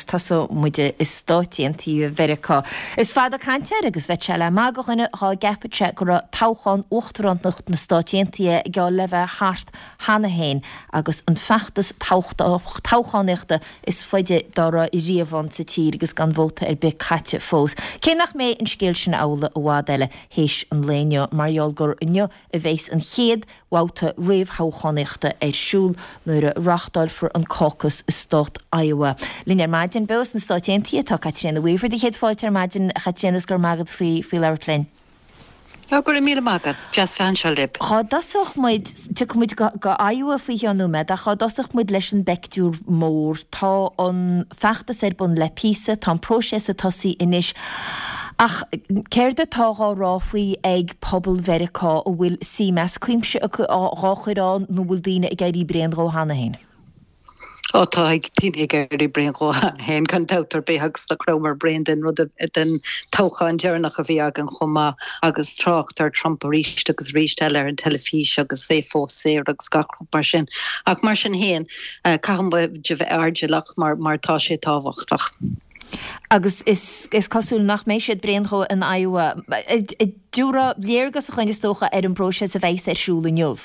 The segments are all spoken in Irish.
tosóidh muid i Stáit Aontaithe Mheiriceá. Is fada caint air agus bheadh sé le magadh do dhuine dhá gceapfadh sé go raibh toghchán uachtarántacht na Stáit Aontaithe geall le bheith thart cheana féin agus an feachtas toghchánaíochta is faide dá raibh riamh ann sa tír agus gan vóta ar bith caite fós. Cé nach mbeidh an scéal sin amhlaidh i bhfad eile théis an lae inniu mar gheall gur inniu a bheas an chéad bhabhta réamhthoghchánaíochta ar siúl nuair a reáchtálfar an caucus i stát Iowa. Linn ar maidin beo sna Stáit Aontaithe tá Caitríona Weaver. Do chéad fáilte ar maidin a Chaitríona is go raibh maith agat faoi labhairt linn. Go raibh míle maith agat. Deas bheith anseo libh. Dhá dtosódh muid, tiocfaidh muid go Iowa faoi cheann nóiméad, ach dhá dtosódh muid leis an bpeictiúr mór. Tá an feachtas ar bun le píosa, tá an próiseas ag tosaí anois. Ach céard atá dhá rá faoi ag pobal Mheiriceá, an bhfuil suim as cuimse acu dhá chur ann nó an bhfuil daoine ag éirí bréan dhó cheana féin? Ó tá daoine ag éirí bréan dhó cheana féin, gan dabht ar bith, agus nach rabhamar bréan den rud, den toghchán deireanach a bhí againn chomh maith, agus trácht ar Trump arís agus arís eile ar an teilifís agus é fós saor agus gach rud mar sin. Ach mar sin féin, caithfidh muid a bheith airdeallach mar mar tá sé tábhachtach. Agus is is cosúil nach mbeidh siad bréan dhó in Iowa. Tabhair léargas dhúinn is dócha ar an bpróiseas a bheas ar siúl inniu.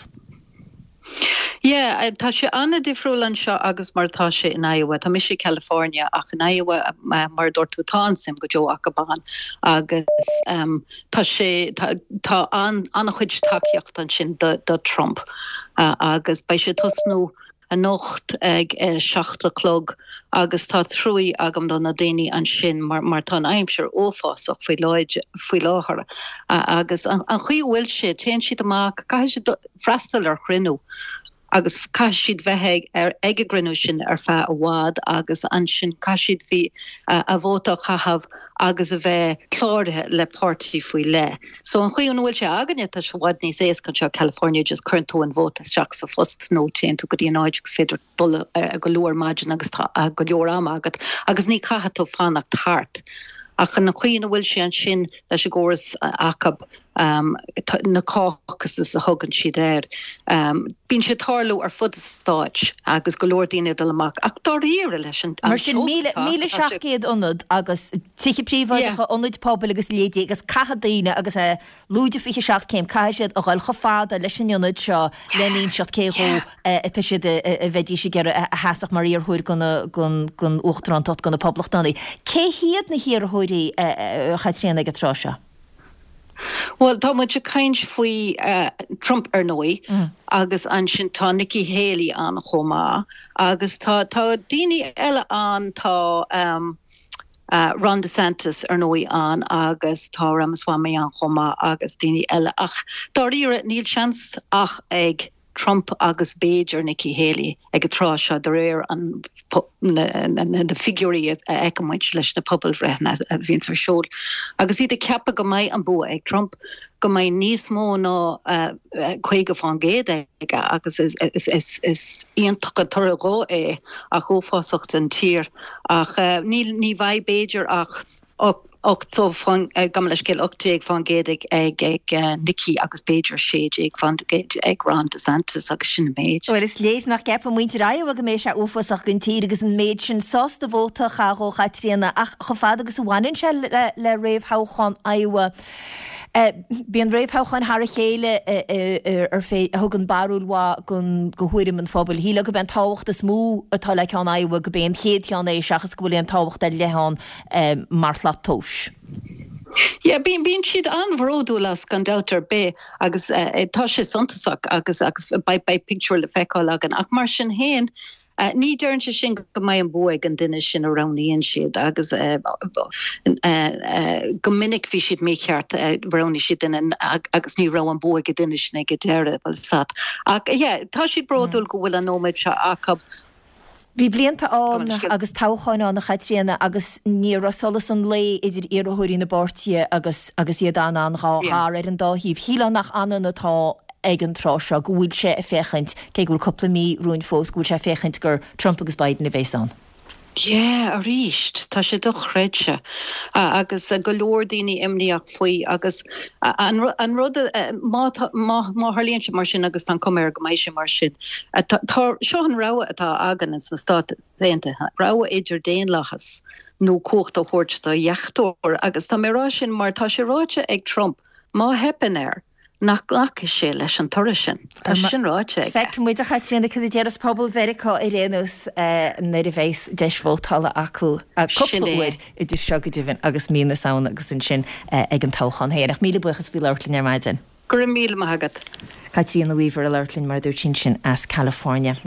Yeah, tá sé an-difriúil anseo agus mar atá sé in Iowa. Tá mise i California ach in Iowa, mar a dúirt tú, tá an-suim go deo acu ann agus tá sé, tá an-chuid tacaíocht ansin do Trump agus beidh sé ag tosnú anocht ag a 7 a chlog agus tá truaí agam do na daoine ansin mar mar tá an aimsir uafásach faoi faoi láthair agus an chaoi a bhfuil sé, téann siad amach, caithfidh siad freastal ar chruinniú agus caithfidh siad bheith ag ar ag an gcruinniú sin ar feadh i bhfad agus ansin caithfidh siad bhí a vóta a chaitheamh agus a bheith cláraithe le páirtí faoi leith. So an chaoi ina bhfuil sé againne tá sé i bhfad níos éasca anseo i California just cuireann tú an vóta isteach sa phost nó téann tú go dtí an áit agus féidir dul go luath ar maidin agus tá go leor ama agat agus ní chaithfidh tú fanacht thart. Ach an chaoi ina bhfuil sé ansin leis an gcóras acu na caucuses a thugann siad air. Bíonn sé ag tarlú ar fud an stáit agus go leor daoine ag dul amach ach dáiríre leis an Mar sin, 1,700 ionad agus tithe príobháideacha, ionaid pobail agus leithéidí agus caithfidh daoine agus é lúide 27 céim, caithfidh siad a dhul chomh fada leis an ionad seo lena inseacht cé dhó atá siad a bheidís ag iarraidh a sheasfadh mar iarrthóir don uachtarántacht do na Poblachtánaigh. Cé hiad na hiarrthóirí, a Chaitríona, ag an tráth seo? Bhuel, tá muid ag caint faoi Trump ar ndóigh agus ansin tá Nikki Haley ann chomh maith agus tá tá daoine eile ann, tá Ron DeSantis ar ndóigh ann agus tá Ramaswamy ann chomh maith agus daoine eile ach dáiríre níl seans ach ag Trump agus b'fhéidir Nikki Haley ag an tráth seo de réir na figiúirí a fheiceann muid leis na pobalbhreitheanna a bhíonns ar siúl. Agus iad ag ceapadh go mbeidh an bua ag Trump, go mbeidh níos mó ná 50% aige agus is iontach an toradh dhó é ach uafásach don tír. Ach ní bheidh b'fhéidir ach 80, gabh mo leithscéal, 18% ag Nikki agus b'fhéidir 16% ag Ron DeSantis agus sin an méid. Bhuel, is léir nach gceapann muintir Iowa go mbeidh sé uafásach don tír agus an méid sin sásta vóta a chaitheamh dhó, a Chaitríona, ach chomh fada agus a bhaineann sé le réamhthoghchán Iowa, bíonn réamhthoghcháin thar a chéile ar fé a thugann barúil mhaith do thuairim an phobail. Shílfeá gurb é an tábhacht is mó atá le ceann Iowa gurb é an chéad cheann é seachas go bhfuil aon tábhacht ar leith ann mar shlat tomhais. Yeah, bíonn, bíonn siad an-bhródúil as gan dabht ar bith agus tá sé suntasach agus agus beidh, beidh pictiúr le feiceáil againn ach mar sin féin ní deireann sé sin go mbeidh an bua ag an duine sin a roghnaíonn siad agus go minic bhí siad mícheart, roghnaigh siad duine agus ní raibh an bua ag an duine sin ag an deireadh, bhuel sat. Ach yeah, tá siad bródúil go bhfuil an nóiméad seo acu. Bhí blianta ann agus toghcháin ann, a Chaitríona, agus ní raibh solas an lae idir iarrthóirí na bpáirtithe agus agus iad an-an-ghar ar an dá thaobh. Shílfeá nach ionann atá ag an tráth seo, go bhfuil sé ag féachaint, cé go bhfuil cúpla mí romhainn fós, go bhfuil sé ag féachaint gur Trump agus Biden a bhéas ann. Yeah, arís, tá sé dochreidte agus go leor daoine imníoch faoi agus an rud, má má tharlaíonn sé mar sin agus tá an cuma air go mbeidh sé mar sin, tá, seo an rogha atá againn sna Stáit Aontaithe, rogha idir daonlathas nó cumhacht a thabhairt do dheachtóir agus tá mé ag rá sin mar tá sé ráite ag Trump má theipeann air, nach nglacfaidh sé leis an toradh sin. Tá sé sin ráite aige. Feicfidh muid, a Chaitríona, cad a déarfas pobal Mheiriceá ar aon nós nuair a bheas deis vótála acu cúpla uair idir seo go deimhin agus mí na Samhna agus ansin ag an toghchán féin. Ach míle buíochas faoi labhairt linn ar maidin. Go raibh míle maith agat. Caitríona Weaver ag labhairt linn mar a dúirt sí ansin as California.